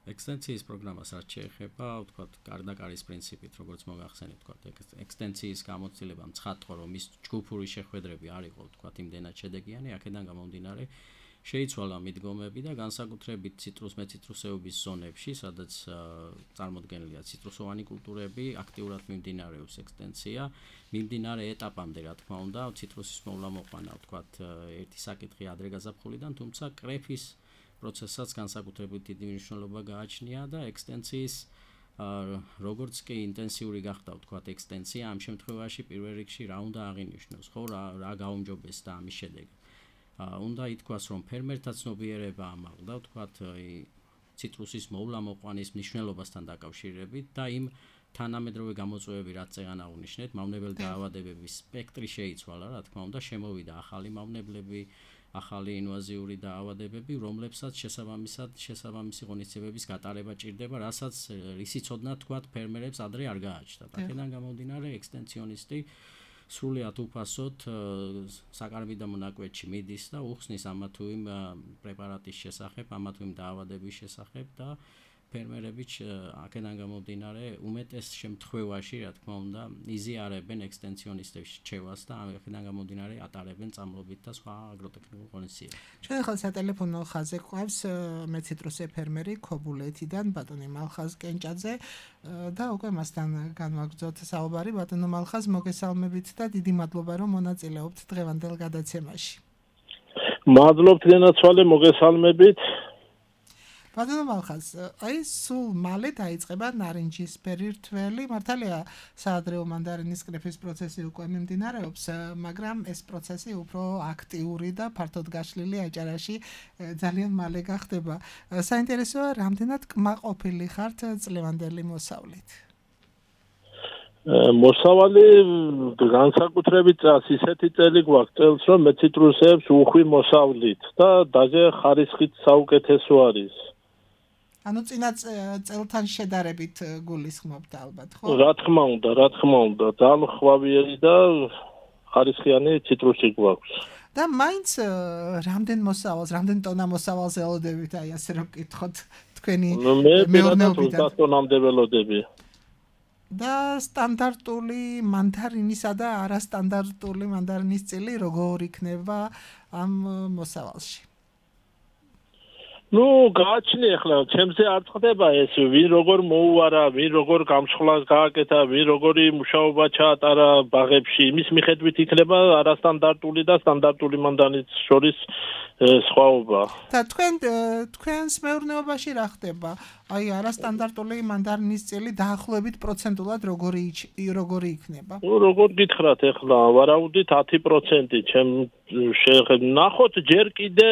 S5: ექსტენსიის პროგრამას არ შეეხება, ვთქვათ, კარდაკარის პრინციპით, როგორც მოგახსენეთ, ვთქვათ, ექსტენსიის გამოცდილებამ ცხადყო, რომ ის ჯგუფური შეხვედრები არ იყო, ვთქვათ, იმდენად შედეგიანი, აქედან გამომდინარე შეიცვალა მიდგომები და განსაკუთრებით მეციტრუსეობის ზონებში, სადაც წარმოდგენილია ციტრუსოვანი კულტურები, აქტიურად მიმდინარეობს ექსტენსია. მიმდინარე ეტაპამდე, რა თქმა უნდა, ციტრუსის მოვლა მოყვანა, ვთქვათ, ერთი საკითხი ადრე გაზაფხულიდან, თუმცა კრეფის პროცესაც განსაკუთრებით დიდი მნიშვნელობა გააჩნია და ექსტენსიის როგორც კი ინტენსიური გახდა, ვთქვათ, ექსტენსია, ამ შემთხვევაში პირველ რიგში რა უნდა აღინიშნოს, ხო, რა გაუმჯობესდა ამის შედეგი. უნდა ითქვას, რომ ფერმერთა ცნობიერება ამაღლდა, ვთქვათ, ციტრუსის მოვლა მოყვანის მნიშვნელობასთან დაკავშირებით და იმ თანამედროვე გამოწვევები რაც წეგან აღნიშნეთ, მავნებელი დაავადებების სპექტრი შეიცვალა, რა თქმა უნდა, შემოვიდა ახალი მავნებლები, ახალი ინვაზიური დაავადებები, რომლებსაც შესაბამისი ღონისძიებების გატარება ჭირდება, რასაც რისიცოდნად თქვათ ფერმერებს ადრე არ გააჩნდათ. აქედან გამომდინარე ექსტენსიონისტი სრულიად უფასოდ საკარმი და მონაკვეთში მიდის და უხსნის ამა თუ იმ პრეპარატის შესახებ, ამა თუ იმ დაავადების შესახებ და ფერმერები აქედან გამომდინარე უმეტეს შემთხვევაში, რა თქმა უნდა, იზიარებენ ექსტენსიონისტების რჩევას და აქედან გამომდინარე ატარებენ წამლობით და სხვა აგროტექნიკურ ღონისძიებებს.
S3: ჩვენ ახლა სატელეფონო ხაზზე გვყავს მეციტრუსე ფერმერი ქობულეთიდან ბატონი მალხაზ კენჭაძე და უკვე მასთან განვაგრძოთ საუბარი. ბატონო მალხაზ, მოგესალმებით და დიდი მადლობა რომ მონაწილეობთ დღევანდელ გადაცემაში.
S6: მადლობთ გენაცვალე, მოგესალმებით.
S3: ბატონო მალხაზ, აი სულ მალე დაიწყება ნარინჯისფერი რთველი, მართალია საადრეო მანდარინის კრეფის პროცესი უკვე მიმდინარეობს, მაგრამ ეს პროცესი უფრო აქტიური და ფართოდ გაშლილი აჭარაში ძალიან მალე გახდება. საინტერესოა, რამდენად კმაყოფილი ხართ წლევანდელი მოსავლით?
S6: მოსავალი განსაკუთრებით ისეთი წელი გვაქვს წელს, რომ მეციტრუსეებს უხვი მოსავლით და დაჟე ხარისხით საუკეთესო არის.
S3: ანუ წინა წელთან შედარებით გულისხმობთ ალბათ, ხო?
S6: რა თქმა უნდა, ძალიან ხვავიერი და ხარისხიანი ციტრუსი გვაქვს.
S3: და მაინც რამდენ მოსავალს, რამდენ ტონა მოსავალს ელოდებით, აი ასე რომ გითხოთ თქვენი მეურნეობიდან?
S6: 20 ტონამდე ველოდები.
S3: და სტანდარტული მანდარინისა და არასტანდარტული მანდარინის წილი როგორ იქნება ამ მოსავალში?
S6: გააჩნია ახლა, ჩემზე არ წდება ეს, ვინ როგორ მოუარა, ვინ როგორ გამსხლას გააკეთა, ვინ როგორი მუშაობა ჩაატარა ბაღებში, იმის მიხედვით იქნება არასტანდარტული და სტანდარტული მანდარინის შორის სხვაობა.
S3: და თქვენს მეურნეობაში რა ხდება? აი არასტანდარტული მანდარინის წილი დაახლოებით პროცენტულად როგორი იქნება?
S6: როგორ გითხრათ ახლა, ვარაუდით 10%, ჩემ ნახოთ ჯერ კიდე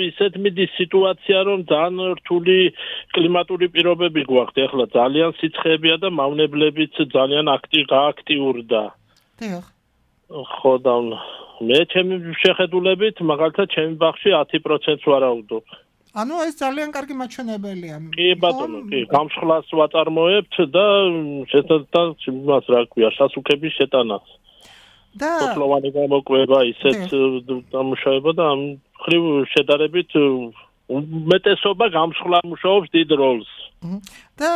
S6: ისეთ მიდის სიტუაცია, რომ ძალიან რთული კლიმატური პირობები გვაქვს, ახლა ძალიან სიცხეებია და მავნებლებიც ძალიან გააქტიურდა.
S3: დიახ.
S6: ხო და მე ჩემი შეხედულებით მაგალითად ჩემი ბაღში 10%-ს ვარაუდობ.
S3: ანუ ეს ძალიან კარგი მაჩვენებელია.
S6: კი ბატონო, კი, გამსხლას ვაწარმოებთ და შესაძლოა იმას რა ქვია, სასუქების შეტანას.
S3: და
S6: სოფლოვანი გამოკვება ისეთ დამუშავება და ამ ხრივ შედარებით უმეტესობა გამსხლა მუშაობს დიდ როლს.
S3: და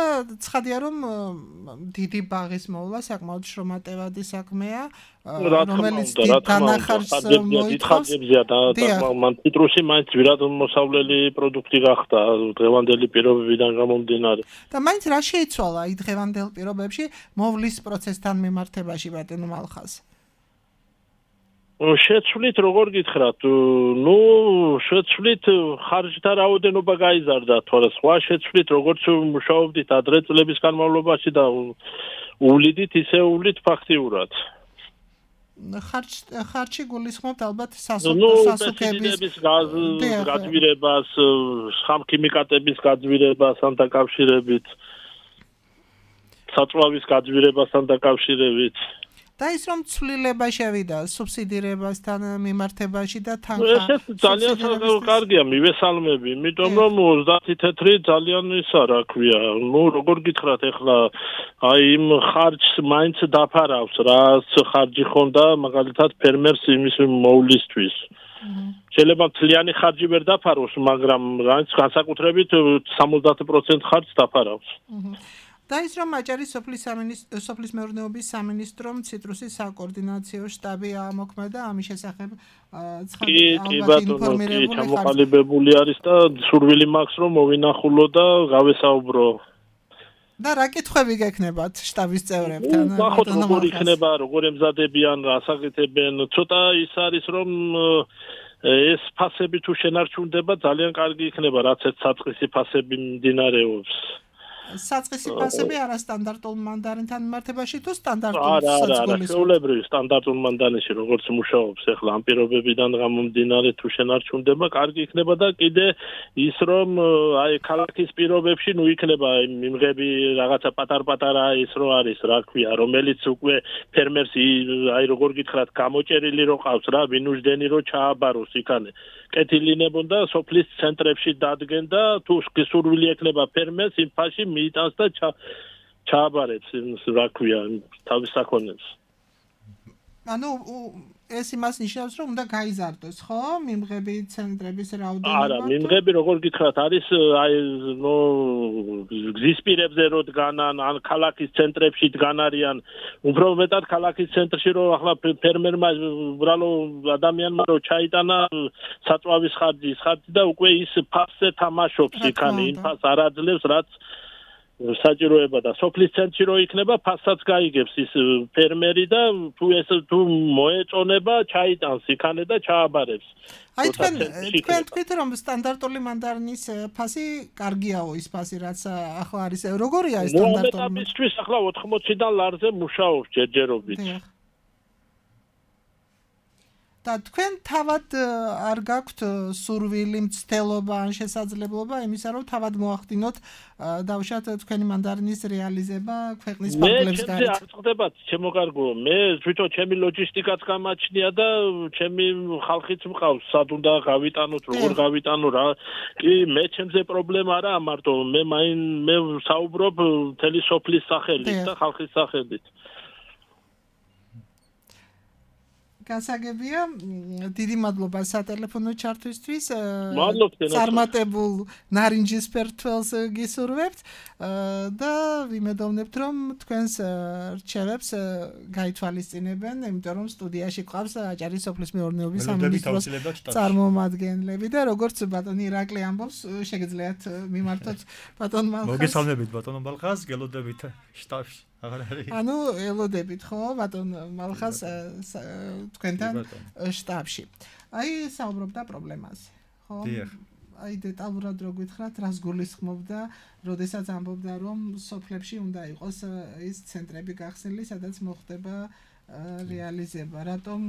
S3: ცხადია რომ დიდი ბაღის მოვლა საკმაოდ შრომატევადი საქმეა, რომელიც დიდ დანახარს მოითხოვს.
S6: მან ციტრუსი მაინც ძვირად მოსავლელი პროდუქტი გახდა დღევანდელი პირობებიდან გამომდინარე.
S3: და მაინც რა შეიცვალა აი დღევანდელ პირობებში მოვლის პროცესთან მიმართებაში ბატონო მალხაზ?
S6: შეცვლით როგორ გითხრათ, შეცვლით ხარჯთა რაოდენობა გაიზარდა, თორე სხვა შეცვლით როგორც მუშაობდით ადრე წლების განმავლობაში და უვლიდით ისე უვლით ფაქტიურად.
S3: ხარჯი გულისხმობთ ალბათ სასუქების
S6: გაძვირებას, ხამქიმიკატების გაძვირებასთან დაკავშირებით, საწვავის გაძვირებასთან დაკავშირებით.
S3: და ის რომ ცვლილება შევიდა სუბსიდირებასთან მიმართებაში და თანხა
S6: ეს ძალიან კარგია მივესალმები, იმიტომ რომ 30 თეთრი ძალიან ისა რა ქვია, როგორ გითხრათ ახლა აი იმ ხარჯს მაინც დაფარავს, რაც ხარჯი ხონდა მაგალითად ფერმერს იმის მოვლისთვის. შეიძლება მთლიანი ხარჯი ვერ დაფაროს, მაგრამ რაც განსაკუთრებით 70% ხარჯს დაფარავს.
S3: და ის რომ აჭარის სოფლის მეურნეობის სამინისტრომ ციტრუსის საკოორდინაციო შტაბი ამოქმედა ამის შესახებ
S6: ალბათ ინფორმირებული ჩამოყალიბებული არის და სურვილი მაქვს რომ მოვინახულო და გავესაუბრო.
S3: და რა კითხვები გექნებათ შტაბის წევრებთან?
S6: ნახოთ როგორ იქნება, როგორ ემზადებიან, რას აკეთებენ. ცოტა ის არის რომ ეს ფასები თუ შენარჩუნდება ძალიან კარგი იქნება, რაც ერთ საწყისი ფასები მიმდინარეობს.
S3: საწყისი ფასები არასტანდარტულ მანდარინთან მიმართებაში თუ სტანდარტულ
S6: არა,
S3: საცხოვრისო?
S6: ჩვეულებრივი სტანდარტულ მანდარინში როგორც მუშაობს ახლა ამ პირობებიდან გამომდინარე თუ შენარჩუნდება, კარგი იქნება და კიდე ის რომ აი ქალაქის პირობებში ნუ იქნება მიმღები რაღაცა პატარ-პატარა ის რო არის, რა ქვია, რომელიც უკვე ფერმერს აი როგორ გითხრათ, გამოჭერილი რო ყავს რა, ვინუშდენი რო ჩააბაროს იქანე. კეთილინებოდა სოფლის ცენტრებში დადგენ და თუ სურვილი ექნება ფერმერს იმ ფაში მიიტანს და ჩააბარებს რა ქვია თავის საქონელს.
S3: ანუ ეს იმას ნიშნავს რომ უნდა გაიზარდოს, ხო? მიმღები ცენტრების რაოდენობა.
S6: არა, მიმღები როგორ გითხრათ, არის აი ნუ გზისპირებზე რო დგანან, ან ქალაქის ცენტრებში დგან არიან, უფრო მეტად ქალაქის ცენტრში რო ახლა ფერმერმა უბრალო ადამიანმა რო ჩაიტანა საწვავის ხარჯის ხარჯი და უკვე ის ფასზე თამაშობს იქანი, იმ ფას არ აძლევს, რაც საჭიროება და სოფლის ცენტრში რო იქნება ფასაც გაიგებს ის ფერმერი და თუ მოეწონება ჩაიტანს იქანე და ჩააბარებს.
S3: აი თქვენ თქვით რომ სტანდარტული მანდარინის ფასი კარგიაო ის ფასი რაც ახლა არის როგორია ეს სტანდარტული?
S6: მოამეტაბისთვის ახლა 80-დან ლარზე მუშაობს ჯერჯერობით.
S3: და თქვენ თავად არ გაქვთ სურვილი, მცდელობა ან შესაძლებლობა იმისა, რომ თავად მოახდინოთ დავუშვათ თქვენი მანდარინის რეალიზება ქვეყნის ფარგლებს გარეთ?
S6: მე არ წხდებათ, ჩემო კარგო, მე თვითონ ჩემი ლოჯისტიკაც გამაჩნია და ჩემი ხალხიც მყავს, სად უნდა გავიტანოთ, როგორ გავიტანო რა. კი, მე ჩემზე პრობლემა არა მარტო, მე საუბრობ მთელი სოფლის სახელით და ხალხის სახელით.
S3: გასაგებია, დიდი მადლობა სატელეფონო ჩართვისთვის.
S6: მადლობთ.
S3: წარმატებულ ნარინჯის ფერთველს გისურვებთ და ვიმედოვნებთ, რომ თქვენს რჩევებს გაითვალისწინებენ, იმიტომ რომ სტუდიაში ყავს აჭარის სოფლის მეურნეობის სამინისტროს წარმომადგენლები და როგორც ბატონი ირაკლი ამბობს, შეგიძლიათ მიმართოთ ბატონ მალხას.
S4: მოგესალმებით ბატონო მალხას, გელოდებით შტაბში.
S3: ანუ ელოდებით ხო ბატონ მალხას თქვენთან შტაბში. აი საუბრობდა პრობლემაზე, ხო? აი დეტალურად რო გითხრათ, რას გულისხმობდა, როდესაც ამბობდა რომ სოფლებში უნდა იყოს ის ცენტრები გახსნილი, სადაც მოხდება რეალიზება. რატომ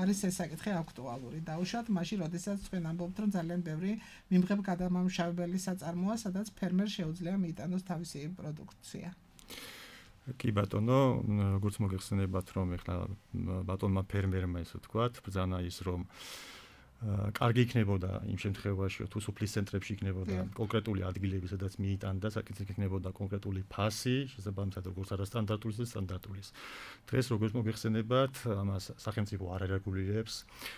S3: არის ეს საკითხი აქტუალური? დაუშვათ მაშინ, როდესაც თქვენ ამბობთ, რომ ძალიან ბევრი მიმღებ გადამამუშავებელი საწარმოა, სადაც ფერმერს შეუძლია მიიტანოს თავისი პროდუქცია.
S4: კი ბატონო, როგორც მოგეხსენებათ, რომ ეხლა ბატონმა ფერმერმა ესე ვთქვათ, ბრძანა ის რომ კარგი იქნებოდა იმ შემთხვევაში, თუ სოფლის ცენტრებში იქნებოდა კონკრეტული ადგილები, სადაც მიიტანდა, საკითხი იქნებოდა კონკრეტული ფასი, შესაბამისად როგორც არასტანდარტული, ისე სტანდარტული. დღეს როგორც მოგეხსენებათ, ამას სახელმწიფო არ არეგულირებს.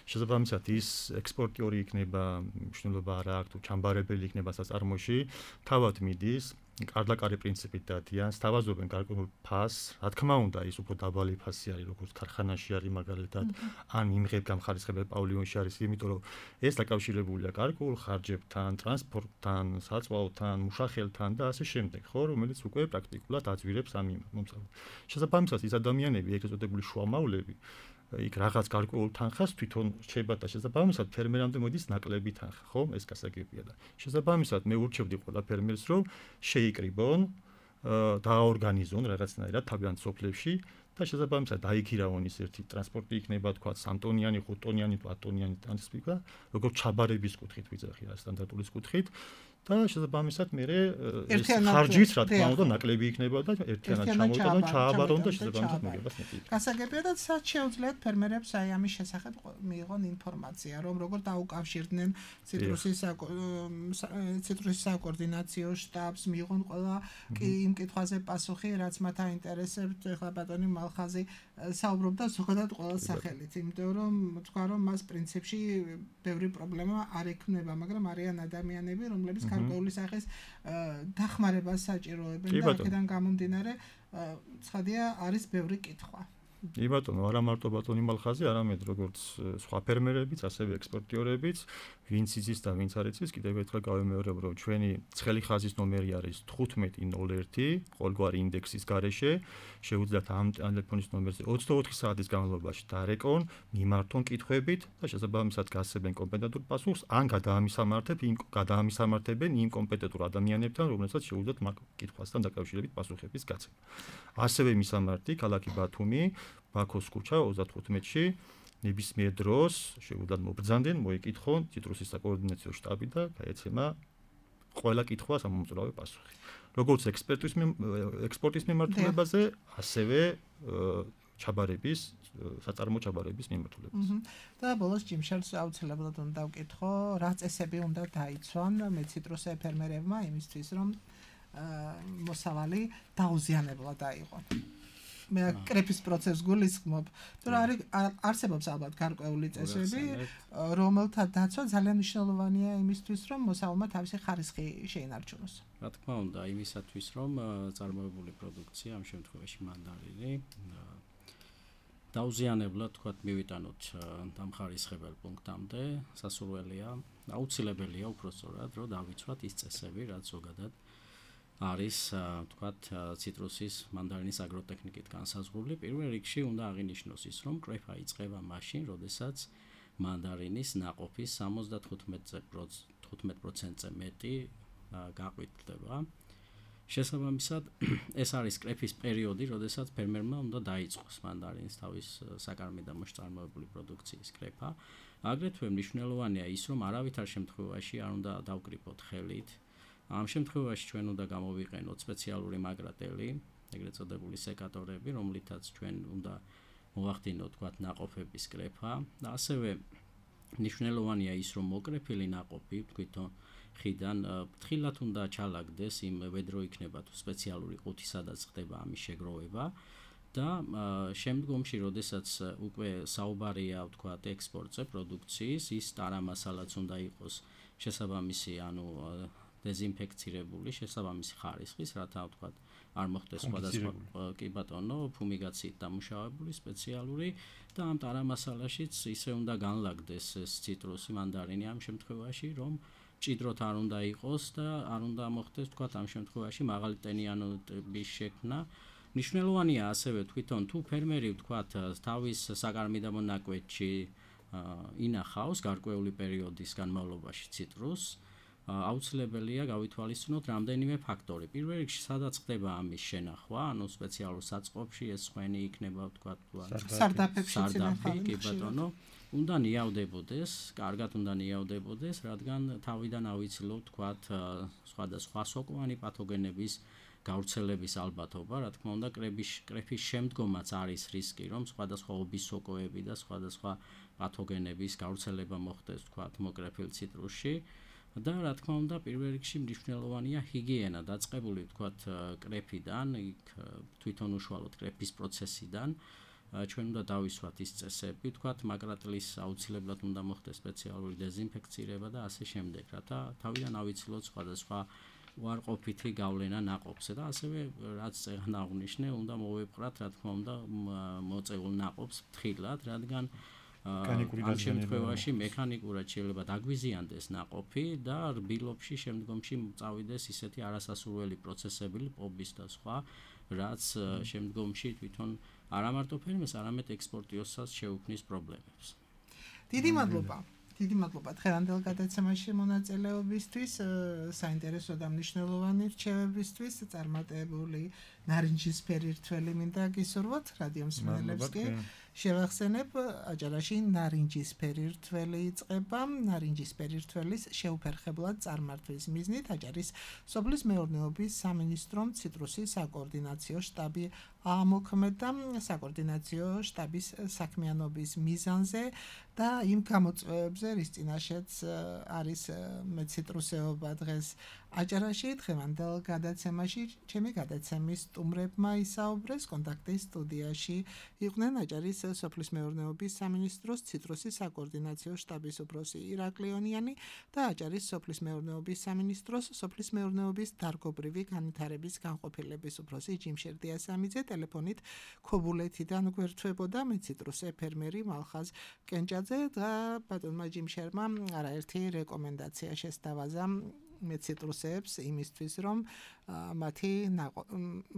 S4: შესაბამისად ის ექსპორტიორი იქნება, მნიშვნელობა არ აქვს, თუ ჩამბარებელი იქნება საწარმოში, თავად მიდის კარდაკარი პრინციპით დადიან, სთავაზობენ გარკვეულ ფასს, რა თქმა უნდა, ის უფრო დაბალი ფასი არის, როგორც ქარხანაში არის მაგალითად, ან იმღებ გამხარისხებელ პავილიონში არის, იმიტომ რომ ეს დაკავშირებულია გარკვეულ ხარჯებთან, ტრანსპორტთან, საწვავთან, მუშახელთან და ასე შემდეგ, ხო, რომელიც უკვე პრაქტიკულად აძვირებს ამ მომსავალს. შესაბამისად, ის ადამიანები, ეგრეთ წოდებული შუამავლები იქ რაღაც გარკვეულ თანხას თვითონ რჩება და შესაბამისად ფერმერამდე მოდის ნაკლები თანხა, ხო? ეს გასაგებია და შესაბამისად მე ურჩევდი ყველა ფერმერს, რომ შეიკრიბონ, დააორგანიზონ რაღაცნაირად თავიანთ სოფლებში და შესაბამისად დაიქირავონ ის ერთი ტრანსპორტი იქნება, თქვა 3 ტონიანი, 5 ტონიანი, 10 ტონიანი ტრანსპორტი, როგორც ჩაბარების კუთხით ვიძახი, სტანდარტულის კუთხით. და შესაბამისად მე ეს ხარჯიც რა თქმა უნდა ნაკლები იქნება და ერთიანად ჩამოვიტანო, ჩააბარონ და შესაბამისად მოგებას მეტი.
S3: გასაგებია და სად შეუძლიათ ფერმერებს აი ამის შესახებ მიიღონ ინფორმაცია, რომ როგორ დაუკავშირდნენ ციტრუსის საკოორდინაციო შტაბს, მიიღონ ყველა იმ კითხვაზე პასუხი, რაც მათ აინტერესებთ. ეხლა ბატონი მალხაზი საუბრობდა ზოგადად ყველა სახელით, იმიტომ რომ თქვა რომ მას პრინციპში ბევრი პრობლემა არ ექნება, მაგრამ არიან ადამიანები, რომლებიც გარკვეული სახის დახმარებას საჭიროებენ და აქედან გამომდინარე ცხადია არის ბევრი კითხვა.
S4: კი ბატონო, არა მარტო ბატონი მალხაზი, არამედ როგორც სხვა ფერმერებიც, ასევე ექსპორტიორებიც ვინც იცის და ვინც არ იცის, კიდევ ერთხელ გავიმეორებ, რომ ჩვენი ცხელი ხაზის ნომერი არის 1501 ყოველგვარი ინდექსის გარეშე. შეუძლიათ ამ ტელეფონის ნომერზე 24 საათის განმავლობაში დარეკონ, მიმართონ კითხვებით და შესაბამისად გასცემენ კომპეტენტურ პასუხს, ან გადაამისამართებენ იმ კომპეტენტურ ადამიანებთან, რომლებსაც შეუძლიათ მაგ კითხვასთან დაკავშირებით პასუხების გაცემა. ასევე მისამართი ქალაქი ბათუმი, ბაქოს ქუჩა 35-ში. ნებისმიერ დროს შეუძლიათ მობრძანდნენ, მოიკითხონ ციტრუსის საკოორდინაციო შტაბი და გაეცემა ყველა კითხვას ამომწურავი პასუხი. როგორც ექსპორტის მიმართულებაზე, ასევე ჩაბარების, საწარმო ჩაბარების მიმართულებაზე.
S3: და ბოლოს ჯიმშელს აუცილებლად უნდა ვკითხო, რა წესები უნდა დაიცვან მეციტრუსე ფერმერებმა იმისთვის, რომ მოსავალი დაუზიანებლად აიღონ. მე კრეფის პროცესს გულისხმობ, მაგრამ არსებობს ალბათ გარკვეული წესები, რომელთა დაცვა ძალიან მნიშვნელოვანია იმისთვის, რომ მოსავალმა თავისი ხარისხი შეინარჩუნოს.
S5: რა თქმა უნდა, იმისათვის, რომ წარმოებული პროდუქცია, ამ შემთხვევაში მანდარინი, დაუზიანებლად თქვათ მივიტანოთ დამხარისხებელ პუნქტამდე, სასურველია, აუცილებელია უпростоრად, რომ დავიცვათ ის წესები, რაც ზოგადად არის თქვათ ციტრუსის მანდარინის აგროტექნიკით განსაზღვრული. პირველ რიგში უნდა აღინიშნოს ის, რომ კრეფა იწყება მაშინ, როდესაც მანდარინის ნაყოფის 75%-ზე მეტი გაყვითლდება. შესაბამისად, ეს არის კრეფის პერიოდი, როდესაც ფერმერმა უნდა დაიწყოს მანდარინის თავის საკარმიდამო მოშწარმოებული პროდუქციის კრეფა. აგრეთვე მნიშვნელოვანია ის, რომ არავითარ შემთხვევაში არ უნდა დავკრიფოთ ხელით. ამ შემთხვევაში ჩვენ უნდა გამოვიყენოთ სპეციალური მაგრატელი, ეგრეთ წოდებული სეკატორები, რომლითაც ჩვენ უნდა მოვახდინოთ თქვათ ნაყოფების კრეფა და ასევე მნიშვნელოვანია ის, რომ მოკრეფილი ნაყოფი თვითონ ხიდან ფრთხილად უნდა ჩალაგდეს, იმ ვედრო იქნება თუ სპეციალური ყუთი, სადაც ხდება ამის შეგროვება და შემდგომში, როდესაც უკვე საუბარია თქვათ ექსპორტზე პროდუქციის, ის ტარამასალაც უნდა იყოს შესაბამისი, ანუ დეზინფექცირებული, შესაბამისი ხარისხის, რათა თქვათ არ მოხდეს სხვადასხვა კი ბატონო, ფუმიგაციით დამუშავებული სპეციალური და ამ ტარამასალაშიც ისე უნდა განლაგდეს ეს ციტრუსი მანდარინი ამ შემთხვევაში, რომ ჭიდროთ არ უნდა იყოს და არ უნდა მოხდეს თქვათ ამ შემთხვევაში მაღალი ტენიანობის შექმნა. მნიშვნელოვანია ასევე თვითონ თუ ფერმერი თქვათ თავის საკარმიდამო ნაკვეთში ინახავს გარკვეული პერიოდის განმავლობაში ციტრუსს, აუცილებელია გავითვალისწინოთ რამდენიმე ფაქტორი. პირველ რიგში, სადაც ხდება ამის შენახვა, ანუ სპეციალურ საწყობში, ეს ხვენი იქნება თქვათ სარდაფი, კი ბატონო, უნდა ნიავდებოდეს, კარგად უნდა ნიავდებოდეს, რადგან თავიდან ავიცილოთ თქვათ სხვადასხვა სოკოვანი პათოგენების გავრცელების ალბათობა, რა თქმა უნდა, კრეფის შემდგომაც არის რისკი, რომ სხვადასხვა ობის სოკოები და სხვადასხვა პათოგენების გავრცელება მოხდეს თქვათ მოკრეფილ ციტრუსში. და რა თქმა უნდა, პირველ რიგში მნიშვნელოვანია ჰიგიენა, დაწყებული თქვათ კრეფიდან, იქ თვითონ უშუალოდ კრეფის პროცესიდან. ჩვენ უნდა დავისვათ ის წესები, თქვათ მაგრატლის აუცილებლად უნდა მოხდეს სპეციალური დეზინფექცირება და ასე შემდეგ, რათა თავიდან ავიცილოთ სხვადასხვა უარყოფითი გავლენა ნაყოფზე და ასევე რაც წეგან აღვნიშნე, უნდა მოვეპყრათ, რა თქმა უნდა, მოწეულ ნაყოფს ფრთხილად, რადგან ამ შემთხვევაში მექანიკურად შეიძლება დაგვიზიანდეს ნაყოფი და რბილობში შემდგომში წავიდეს ისეთი არასასურველი პროცესები, პობის და სხვა, რაც შემდგომში თვითონ არა მარტო ფერმერს, არამედ ექსპორტიორსაც შეუქმნის პრობლემებს.
S3: დიდი მადლობა. დიდი მადლობა დღევანდელ გადაცემაში მონაწილეობისთვის, საინტერესო და მნიშვნელოვანი რჩევებისთვის, წარმატებული ნარინჯისფერი რთველი მინდა გისურვოთ რადიო მსმენელებს კი. შევახსენებ, აჭარაში ნარინჯისფერი რთველი იწყება, ნარინჯისფერი რთველის შეუფერხებლად წარმართვის მიზნით აჭარის სოფლის მეურნეობის სამინისტრომ ციტრუსის საკოორდინაციო შტაბი ამოქმედა საკოორდინაციო შტაბის საქმიანობის მიზანზე და იმ გამოწვევებზე, რის წინაშეც არის მეციტრუსეობა დღეს აჭარაში დღევანდელ გადაცემაში ჩემი გადაცემის სტუმრებმა ისაუბრეს კონტაქტის სტუდიაში იყვნენ აჭარის სოფლის მეურნეობის სამინისტროს ციტრუსის საკოორდინაციო შტაბის უფროსი ირაკლიონიანი და აჭარის სოფლის მეურნეობის სამინისტროს სოფლის მეურნეობის დარგობრივი განვითარების განყოფილების უფროსი ჯიმშერ დიასამიძე ტელეფონით ქობულეთიდან გვერდთვებოდა მე ციტრუსე ფერმერი მალხაზ კენჭაძე და ბატონმა ჯიმშერმა არაერთი რეკომენდაცია შესთავაზა მე ციტრუსებს იმისთვის რომ მათი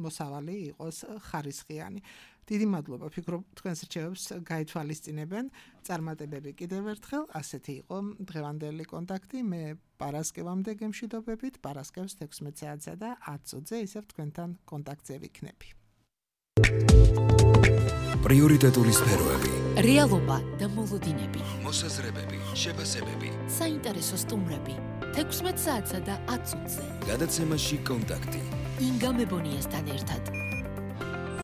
S3: მოსავალი იყოს ხარისხიანი. დიდი მადლობა, ფიქრობ თქვენს რჩევებს გაითვალისწინებენ. წარმატებები კიდევ ერთხელ, ასეთი იყო დღევანდელი კონტაქტი. მე პარასკევამდე გემშვიდობებით, პარასკევს 16 საათსა და 10 წუთზე ისევ თქვენთან კონტაქტზე ვიქნები.
S1: პრიორიტეტული სფეროები,
S2: რეალობა და მოლოდინები,
S1: მოსაზრებები, შეფასებები,
S2: საინტერესო სტუმრები 16 საათსა და 10 წუთზე.
S1: გადაცემაში კონტაქტი.
S2: ინგა მებონიასთან ერთად.